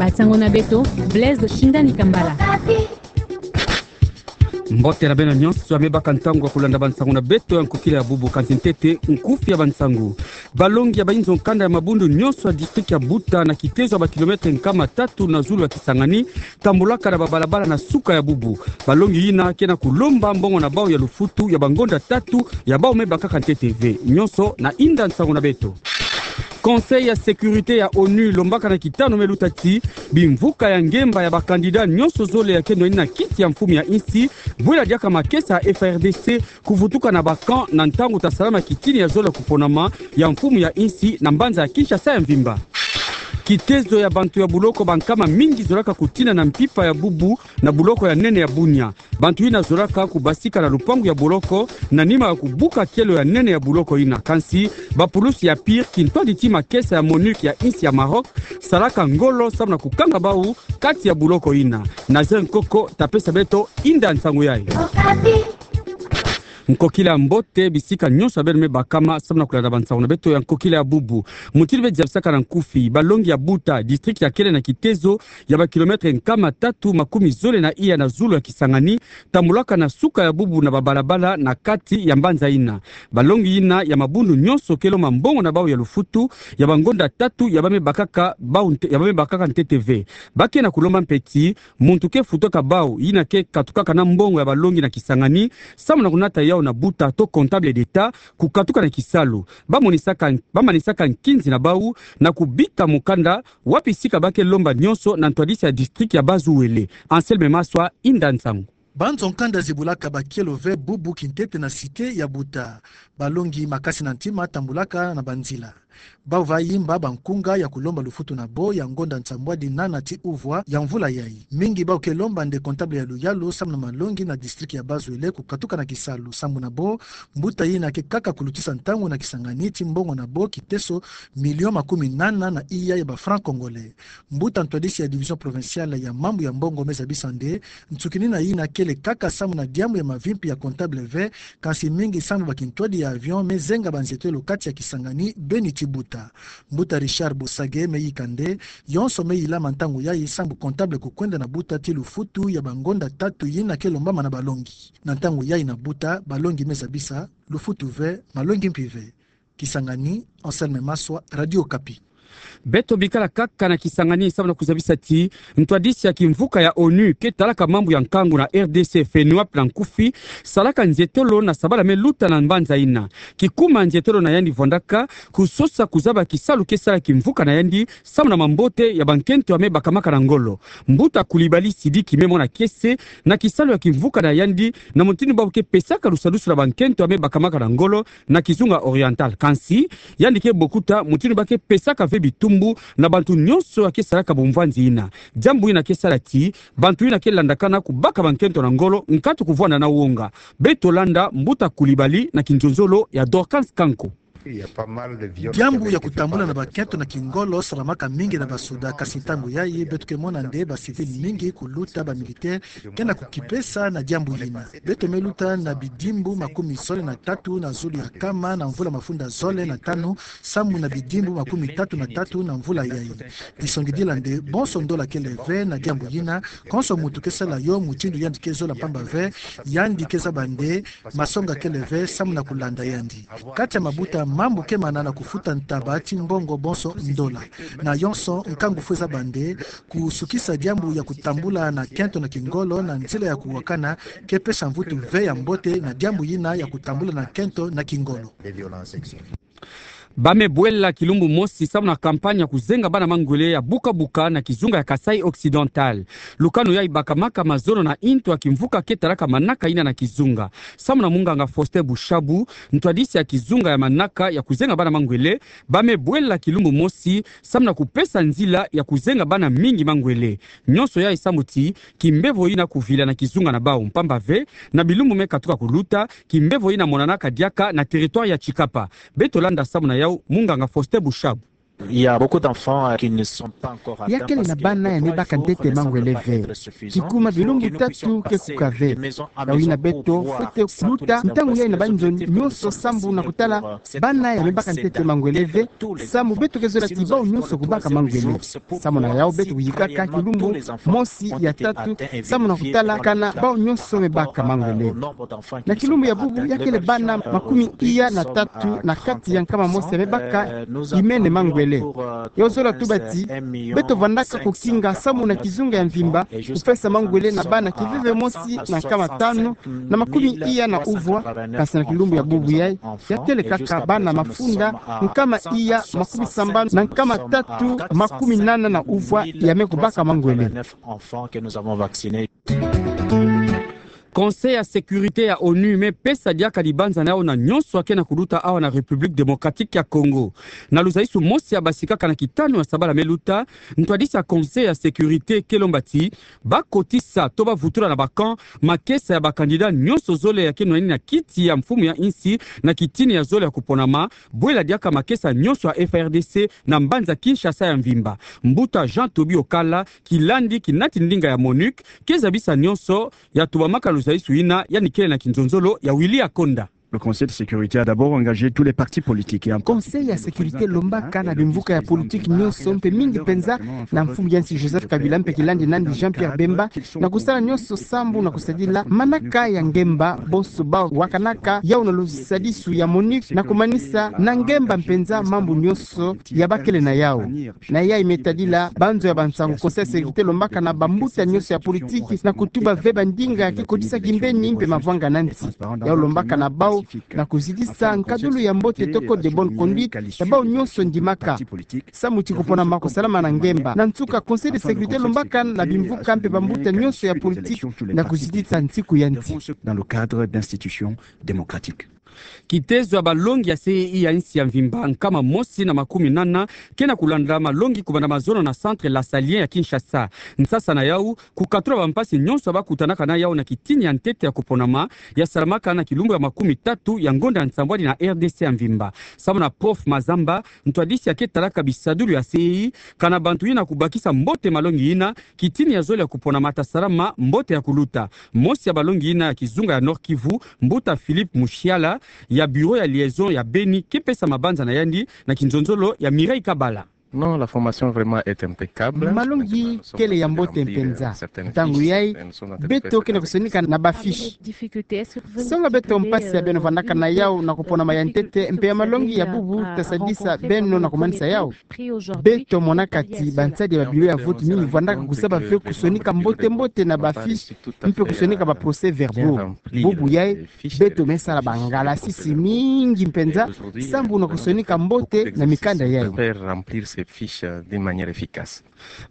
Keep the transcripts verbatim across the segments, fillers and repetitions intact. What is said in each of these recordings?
Bansango na beto, Blaise Shindani Kambala. Mbote na beno nyonso, ya me baka ntangu ya kulanda bansango na beto ya nkokila ya bubu. Kansi ntete nkufi ya bansango. Balongi ya bayinzo nkanda ya mabundu nyonso ya district ya Buta na kitezo ya ba kilomètre nkama tatu na zulu ya Kisangani, tambolaka na babalabala na suka ya bubu. Balongi yina ke na kulomba mbongo na bau ya lufutu ya bangonda tatu ya bau me bakaka ntete ve. Nyonso na inda nsango na beto. Conseil ya sécurité ya onu lombaka na kitano me luta ti bimvuka ya ngemba ya ba candidat nyonso zole ya keno yina kiti ya mfumu ya insi, bwela diaka makesa ya F A R D C kuvutuka na ba camp na ntangu tasalama kitini ya zole ya kuponama ya mfumu ya insi na mbanza ya Kinshasa ya mvimba. Kitezo ya bantu ya buloko bankama mingi zolaka kutina na mpimpa ya bubu na buloko ya nene ya Bunia. Bantu yina zolaka kubasika na lupangu ya buloko na nima ya kubuka kielo ya nene ya buloko yina. Kansi bapulusi ya PIR, kintwadi ti makesa ya MONUC ya insi ya Maroc, salaka ngolo samu na kukanga bau kati ya buloko yina. Nazaire Nkoko tapesa beto inda nsango yayi. Nkokila mbote bisika nyonso ya beno me bakama samu na kulanda bansango na beto ya nkokila ya bubu. Mutindu beno zabisaka na nkufi, balongi ya Buta, district ya kele na kitezo ya ba kilomètre nkama tatu makumi zole na iya na zulu ya Kisangani, tambolaka na suka ya bubu na babalabala na kati ya mbanza yina. Balongi yina ya mabundu nyonso ke lomba mbongo na bau ya lufutu ya bangonda tatu ya bau me bakaka bau nte-, ya bau me bakaka ntete ve. Ba ke na kulomba mpe ti muntu ke futaka bau yina ke katukaka na mbongo ya balongi na Kisangani samu na kunata yau na Buta to comptable d'État kukatuka na kisalu. Ba monisaka, ba manisaka nkinzi na bau na kubika mukanda wapi sika ba ke lomba nyonso na ntwadisi ya district ya Bas-Uele. Anselme Maswa, inda nsango. Banzo nkanda zibulaka bakielo ve bubu kintete na cité ya Buta. Balongi makasi na ntima tambolaka na banzila. Bau va yimba bankunga ya kulomba lufutu na bo ya ngonda nsambwadi nana ti uvwa ya mvula yayi. Mingi bau ke lomba nde comptable ya luyalu samu na malongi na district ya Bas-Uele kukatuka na kisalu. Sambu na bo, mbuta yina ke kaka kulutisa ntangu na Kisangani ti mbongo na bo kiteso million makumi nana na iya ya ba francs congolais. Mbuta ntwadisi ya division provinciale ya mambu ya mbongo me zabisa nde, nsukinina yina kele kaka samu na diambu ya mavimpi ya comptable ve, kansi mingi samu bakintwadi ya avion me zenga banzietelo kati ya Kisangani beni ti Buta. Mbuta Richard Bosage me yika nde, yonso me yilama ntangu yayi samu comptable kukwenda na Buta ti lufutu ya bangonda tatu yina ke lombama na balongi. Na ntangu yayi na Buta, balongi me zabisa, lufutu ve, malongi mpi ve. Kisangani, Anselme Maswa, Radio Okapi. Beto bikala kaka na Kisangani samu na kuzabisa ti ntwadisi ya kimvuka ya onu ke talaka mambu ya nkangu na R D C, FENUAP na nkufi, salaka nzietelo na sabala me luta na mbanza yina. Kikuma nzietelo na yandi vwandaka kusosa kuzaba kisalu ke sala kimvuka na yandi samu na mambote ya bankento ya me bakamaka na ngolo. Mbuta Coulibaly Sidiki me mona kiese na kisalu ya kimvuka na yandi na mutindu bau ke pesaka lusadusu na bankento ya me bakamaka na ngolo na kizunga oriental. Kansi yandi ke bokuta mutindu ba ke pesaka ve bitumbu na bantu nyonso ya ke salaka bumvanzi yina. Diambu yina ke sala ti bantu yina ke landakana kubaka bankento na ngolo nkatu kuvwanda na wonga. Beto landa Mbuta Coulibaly na kinzonzolo ya Dorcas Kanko. Diambu ya kutambula na bankento na kingolo salamaka mingi na basoda, kansi ntangu yayi beto ke mona nde ba civil mingi kuluta ba militaire ke na kukipesa na diambu yina. Beto me luta na bidimbu makumi zole na tatu na zulu ya kama na mvula mafunda zole na tanu, samu na bidimbu makumi tatu na tatu na mvula yayi. Disongidila nde bonso ndola kele ve na diambu yina, konso muntu ke sala yo mutindu yandi ke zola, mpamba ve yandi ke zaba nde masonga kele ve samu na kulanda yandi. Kati ya mabuta, mambu ke mana na kufuta ntaba ti mbongo bonso ndola. Na yonso, nkangu fwe zaba nde kusukisa diambu ya kutambula na nkento na kingolo na nzila ya kuwakana ke pesa mvutu ve ya mbote na diambu yina ya kutambula na nkento na kingolo. Ba me bwela kilumbu mosi samu na campagne ya kuzenga bana mangwele ya buka-buka na kizunga ya Kasaï Occidental. Lukanu yayi bakamaka mazono na intu ya kimvuka ke talaka manaka yina na kizunga. Samu na munganga Faustin Bushabu, ntwadisi ya kizunga ya manaka ya kuzenga bana mangwele, ba me bwela kilumbu mosi samu na kupesa nzila ya kuzenga bana mingi mangwele. Nyonso yayi samu ti kimbevo yina kuvila na kizunga na bau, mpamba ve na bilumbu me katuka kuluta, kimbevo yina monanaka diaka na territoire ya Tshikapa. Beto landa samu na yau munganga Faustin Bushabu. Il y a beaucoup d'enfants, euh, qui ne sont pas encore atteints. Ya kele na bana ya mibaka ntete mangwele ve. Kikuma bilumbu tatu ke kuka ve. Yawu yina beto fwete luta ntangu yayi na banzo nyonso sambu na kutala bana ya mibaka ntete mangwele ve. Samu beto ke zola ti bawu nyonso kubaka mangwele. Samu na yawu beto kuyikaka kilumbu mosi, ya tatu, samu na kutala kana bawu nyonso mibaka mangwele. Na kilumbu ya bubu ya kele bana makumi iya na tatu na kati ya nkama mosi ya mibaka imene mangwele. Yawu zola tuba ti beto vandaka kukinga samu na kizunga ya mvimba kupesa mangwele na bana kiveve mosi na nkama tanu na makumi iya na uvwa, kasi na kilumbu ya bubu yayi ya kele kaka bana mafunda nkama iya makumi sambanu na nkama tatu makumi nana na uvwa ya me kubaka mangwele. Conseil ya sécurité ya onu me pesa diaka libanza na yawu na nyonso ya ke na kuluta awa na République démocratique ya Congo. Na luzaisu mosi ya basikaka na kitanu ya sabala me luta, ntwadisi ya Conseil ya sécurité ke lomba ti bakotisa to bavutula na ba camp makesa ya ba candidat nyonso zole ya ke nwani na kiti ya mfumu ya insi na kitini ya zole ya kuponama, bwela diaka makesa nyonso ya F A R D C na mbanza Kinshasa ya mvimba. Mbuta Jean Toby Okala, kilandi kinati ndinga ya MONUC, ke zabisa nyonso ya tubamaka luzaisu yina, yandi kele na kinzonzolo ya Willy Akonda. Le Conseil de sécurité a d'abord engagé tous les partis politiques et en particulier le président de la République. Conseil ya sécurité lombaka na bimvuka ya politique nyonso mpe mingi mpenza na mfumu ya insi Joseph Kabila mpe kilandi nandi Jean-Pierre Bemba na kusala nyonso sambu na kusadila manaka ya ngemba, bonso bawu wakanaka yawu na lusadisu ya MONUC na kumanisa na ngemba mpenza mambu nyonso ya bakele na yawu. Na yayi me tadila banzo ya bansangu, Conseil ya sécurité lombaka na bambuta nyonso ya politique na kutuba ve bandinga ya ke kotisa kimbeni mpe mavwanga na nsi. Yawu lombaka na bawu na kuzitisa nkadulu ya mbote to code de bonne conduite ya bawu nyonso ndimaka. Samu ti kuponama kusalama na ngemba. Na nsuka, Conseil de sécurité lombaka na bimvuka mpe bambuta nyonso ya politique na kuzitisa nsiku ya nsi. Dans le cadre d'institutions démocratiques. Kitezo ya balongi ya C E I ya insi ya mvimba nkama mosi na makumi nana ke na kulanda malongi kubanda mazono na Centre Lasalien ya Kinshasa. Nsasa na yawu, kukatula bampasi nyonso ya bakutanaka na yawu na kitini ya ntete ya kuponama, ya salamaka na kilumbu ya makumi tatu ya ngonda ya nsambwadi na R D C ya mvimba. Samu na Prof Mazamba, ntwadisi ya ke talaka bisadulu ya C E I, kana bantu yina kubakisa mbote malongi yina, kitini ya zole ya kuponama ta salama mbote ya kuluta. Mosi ya balongi yina ya kizunga ya Nord-Kivu, mbuta Philippe Mushiala, ya bureau ya liaison ya Beni, ke pesa mabanza na yandi na kinzonzolo ya Mireille Kabala. Non, la formation vraiment est impeccable. Malongi kele ya mbote mpenza. Ntangu yayi, beto ke na kusonika na ba fiche. Songa beto mpasi ya beno vandaka na yawu na kuponama ya ntete, mpe ya malongi ya bubu ta sadisa beno na kumanisa yawu. Beto monaka ti bansadi ya ba bureau ya vote mingi vandaka kuzaba ve kusonika mbote-mbote na ba fiche, mpe kusonika ba procès-verbaux. Bubu yayi, beto me sala bangalasisi mingi mpenza sambu na kusonika mbote na mikanda yayi. Faire remplir ces fiches, euh, d'une manière efficace.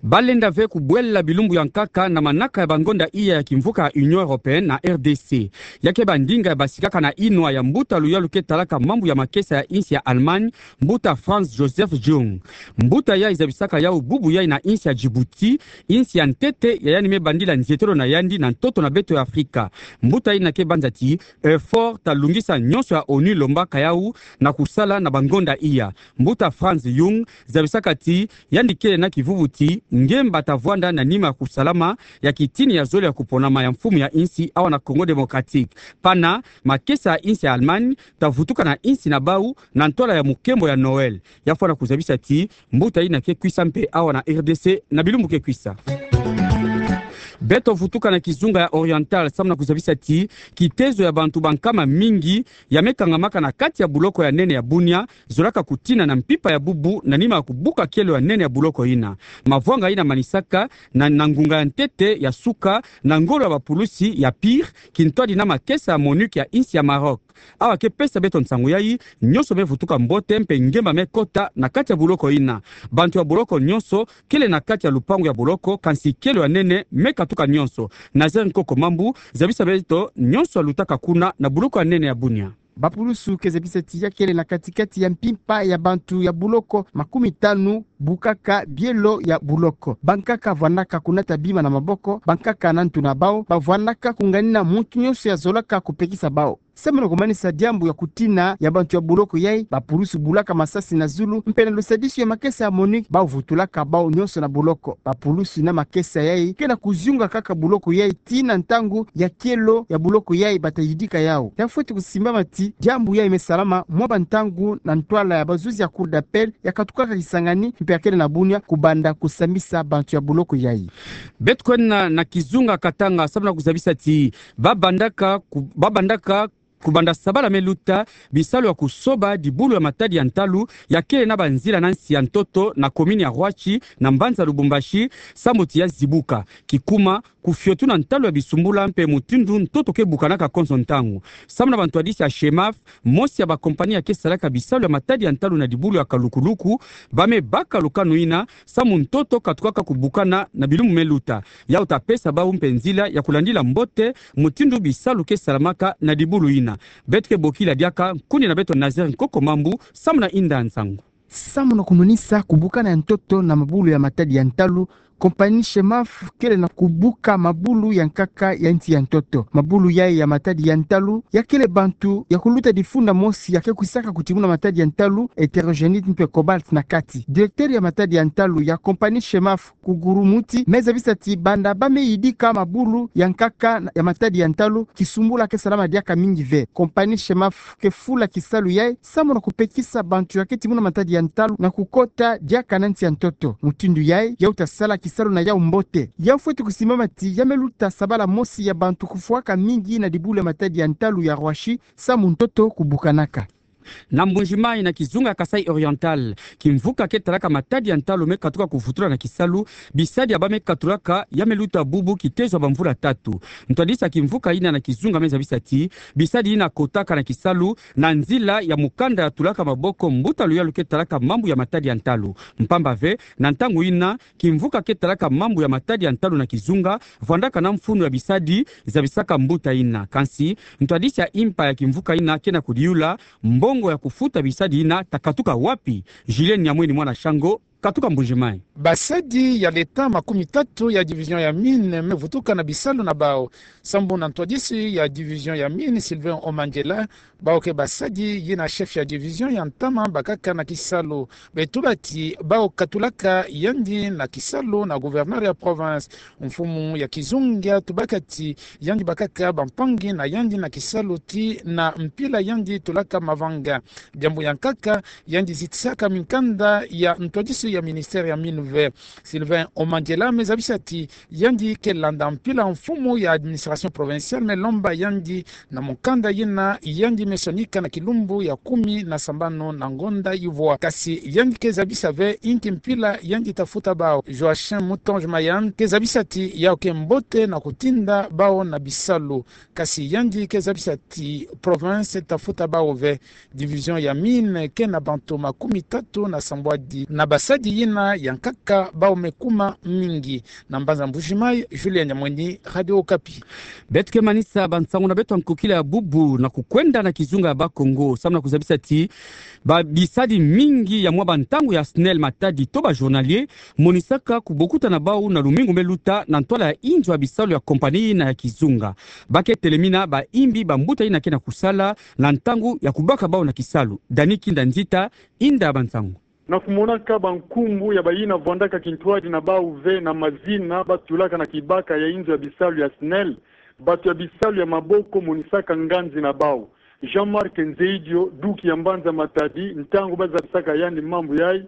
Balenda ve kubwela bilumbu ya nkaka na manaka ya bangonda iya ya kimvuka ya Union Européenne na R D C. Ya ke ba ndinga ya basikaka na inwa ya mbuta luyalu ke talaka mambu ya makesa ya insi ya Allemagne, mbuta Franz Josef Jung. Mbuta yayi zabisaka yawu bubu yayi na insi ya Djibouti, insi ya ntete ya yandi me bandila nzietelo na yandi na ntoto na beto ya Afrika. Mbuta yina ke banza ti effort ta lungisa nyonso ya onu lombaka yawu na kusala na bangonda iya. Mbuta Franz Jung zabisaka ti yandi kele na kivuvu ti ngemba ta vwanda na nima ya kusalama ya kitini ya zole ya kuponama ya mfumu ya insi awa na Congo Démocratique. Pana, makesa ya insi ya Allemagne ta vutuka na insi na bawu na ntwala ya mukembo ya Noël. Ya fwana kuzabisa ti mbuta yina ke kwisa mpe awa na R D C na bilumbu ke kwisa. Beto vutuka na kizunga ya Oriental samu na kuzabisa ti kitezo ya bantu bankama mingi ya me kangamaka na kati ya buloko ya nene ya Bunia zolaka kutina na mpimpa ya bubu na nima ya kubuka kielo ya nene ya buloko yina. Mavwanga yina manisaka na, na ngunga ya ntete ya suka na ngolo ya bapulusi ya Pire, kintwadi na makesa ya MONUC ya insi ya Maroc. Awa ke pesa beto nsangu yayi, nyonso me vutuka mbote mpe ngemba me kota na kati ya buloko yina. Bantu ya buloko nyonso kele na kati ya lupangu ya buloko, kansi kielo ya nene me katuka nyonso. Nazaire Nkoko Mambu zabisa beto nyonso ya lutaka kuna na buloko ya nene ya Bunia. Bapulusu ke zabisa ti ya kele na kati-kati ya mpimpa ya bantu ya buloko makumi tanu bukaka bielo ya buloko. Bankaka vwandaka kunata bima na maboko, bankaka na ntu na bawu bavwandaka kunganina muntu nyonso ya zolaka kupekisa bawu. Samu na kumanisa diambu ya kutina ya bantu ya boloko yai, bapulusu bulaka masasi na zulu, mpe na lusadisu ya makesa ya MONUC, bau vutulaka bau nyonso na boloko. Bapulusu na makesa yai ke na kuzunga kaka boloko yai tii na ntangu ya kielo ya boloko yai bata yidika yau. Ya fweti kusimbama ti diambu yai me salama mwa bantangu na ntwala ya bazuzi ya Cour d'appel ya katukaka Kisangani mpe ya kele na Bunia, kubanda kusambisa bantu ya boloko yai. Beto kwenda na kizunga Katanga, samu na kuzabisa ti babandaka ku-, babandaka kubanda sabala me luta, bisalu ya kusoba dibulu ya matadi ya ntalu ya kele na banzila na nsi ya ntoto na komini ya Rwashi na mbanza Lubumbashi, samu ti ya zibuka. Kikuma, kufiotu na ntalu ya bisumbula mpe mutindu ntoto ke bukanaka konso ntangu. Samu na bantwadisi ya SHEMAF, mosi ya bakompani ya ke salaka bisalu ya matadi ya ntalu na dibulu ya kalukuluku, ba me baka lukanu ina, samu ntoto katukaka kubukana na bilumbu me luta. Yau ta pesa bau mpe nzila ya kulandila mbote mutindu bisalu ke salamaka na dibulu ina. Beto ke bokila diaka, nkundi na beto Nazaire Nkoko Mambu, samu na inda nsangu. Samu na kumonisa kubukana ya ntoto na mabulu ya matadi ya ntalu, kompani SHEMAF kele na kubuka mabulu ya nkaka ya nsi ya ntoto. Mabulu yai ya matadi ya ntalu ya kele bantu ya kuluta difunda mosi ya ke kwisaka kutimuna matadi ya ntalu, hétérogénite mpe cobalt na kati. Directeur ya matadi ya ntalu ya kompani SHEMAF, Kuguru Muti, me zabisa ti banda ba me yidika mabulu ya nkaka ya matadi ya ntalu, kisumbula ke salama diaka mingi ve. Kompani SHEMAF ke fula kisalu yai samu na kupekisa bantu ya ke timuna matadi ya ntalu na kukota diaka na nsi ya ntoto. Mutindu yai, yau ta sala kisalu na yau mbote. Ya fweti kusimbama ti ya me luta sabala mosi ya bantu kufwaka mingi na dibulu ya matadi ya ntalu ya Rwashi, samu ntoto kubukanaka. Na Mbuji-Mayi, na kizunga Kasaï Oriental, kimvuka ke talaka matadi ya ntalu me katuka kuvutula na kisalu, bisadi ya ba me katulaka ya me luta bubu kitezo ya bamvula tatu. Ntwadisi ya kimvuka ina na kizunga me zabisa ti bisadi ina kotaka na kisalu na nzila ya mukanda ya tulaka maboko mbuta luyalu ke talaka mambu ya matadi ya ntalu. Mpamba ve, na ntangu ina, kimvuka ke talaka mambu ya matadi ya ntalu na kizunga vwandaka na mfunu ya bisadi, zabisaka mbuta ina. Kansi, ntwadisi ya impa ya kimvuka ina ke na kudiyula, mbongo ya kufuta bisadi ina ta katuka wapi? Julien Nyamweni, mwana Shango, katuka Mbuji-Mayi. Basadi ya l'État makumi tatu ya division ya mine me vutuka na bisalu na bau. Sambu na ntwadisi ya division ya mine, Sylvain Omangela, bau ke basadi yina chef ya division ya ntama bakaka na kisalu. Be tula ti bau katulaka yandi na kisalu na gouverneur ya province. Mfumu ya kizunga tubaka ti yandi bakaka bampangi na yandi na kisalu tii na mpila yandi tulaka mavanga. Diambu ya nkaka, yandi zitisaka minkanda ya ntwadisi ya ministère ya mine ve. Sylvain Omangela me zabisa ti yandi ke landa mpila mfumu ya administration provinciale me lomba yandi na mukanda yina yandi me sonika na kilumbu ya kumi na sambanu na ngonda ivwa. Kasi yandi ke zabisa ve inki mpila yandi ta futa bau. Joachim Moutonge Mayan ke zabisa ti yau ke mbote na kutinda bau na bisalu. Kasi yandi ke zabisa ti province ta futa bau ve. Division ya mine ke na bantu makumi tatu na sambwadi na basadi yina ya nkaka bau me kuma mingi. Na mbanza Mbuji-Mayi, Julien Nyamweni, Radio Okapi. Beto ke manisa bansangu na beto ya nkokila ya bubu na kukwenda na kizunga ya Bas-Congo, samu na kuzabisa ti ba bisadi mingi ya mwa bantangu ya SNEL, matadi to ba journalier, monisaka kubokuta na bau na lumingu me luta na ntwala ya inzo ya bisalu ya kompani na ya kizunga. Ba ke telemina baimbi bambuta yina ke na kusala na ntangu ya kubaka bau na kisalu. Dani Kinda Nzita, inda bansangu. Na kumonaka bankumbu ya bayina vwandaka kintwadi na bau ve na mazina ba tulaka na kibaka ya inzo ya bisalu ya SNEL, batu ya bisalu ya maboko monisaka nganzi na bau. Jean-Marc Nzeidio, duki ya mbanza Matadi, ntangu ba zabisaka yandi mambu yai,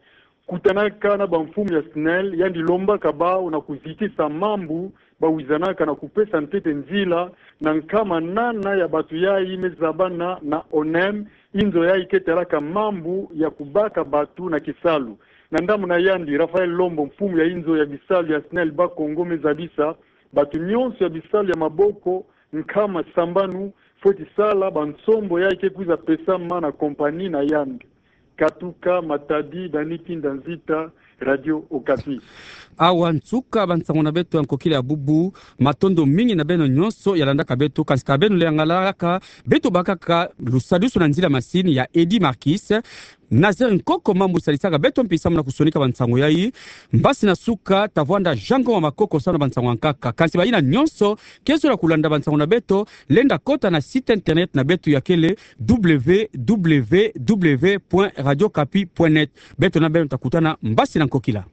kutanaka na bamfumu ya SNEL, yandi lombaka bau na kuzitisa mambu ba wizanaka na kupesa ntete nzila na nkama nana ya batu yai me zabana na ONEM, inzo yai ke talaka mambu ya kubaka batu na kisalu. Na ndambu na yandi, Raphaël Lombo, mfumu ya inzo ya bisalu ya SNEL Bas-Congo, me zabisa batu nyonso ya bisalu ya maboko nkama sambanu fweti sala bansombo yai ke kwiza pesama na kompani na yandi. Katuka Matadi, Dani Kinda Nzita, Radio Okapi. Awa nsuka bansangu na beto ya nkokila ya bubu. Matondo mingi na beno nyonso ya landaka beto, kansi ka beno le yangalaka, beto bakaka lusadisu na nzila masini ya Eddy Marquis. Nazaire Nkoko Mambu sadisaka beto mpi samu na kusonika bansango yai. Mbasi na suka, tavwanda Jean Ngoma Makoko samu na bansango ya nkaka. Kansi bayina nyonso ke zola kulanda bansango na beto, lenda kota na site internet na beto ya kele w w w point radio okapi point net. Beto na beno ta kutana mbasi na nkokila.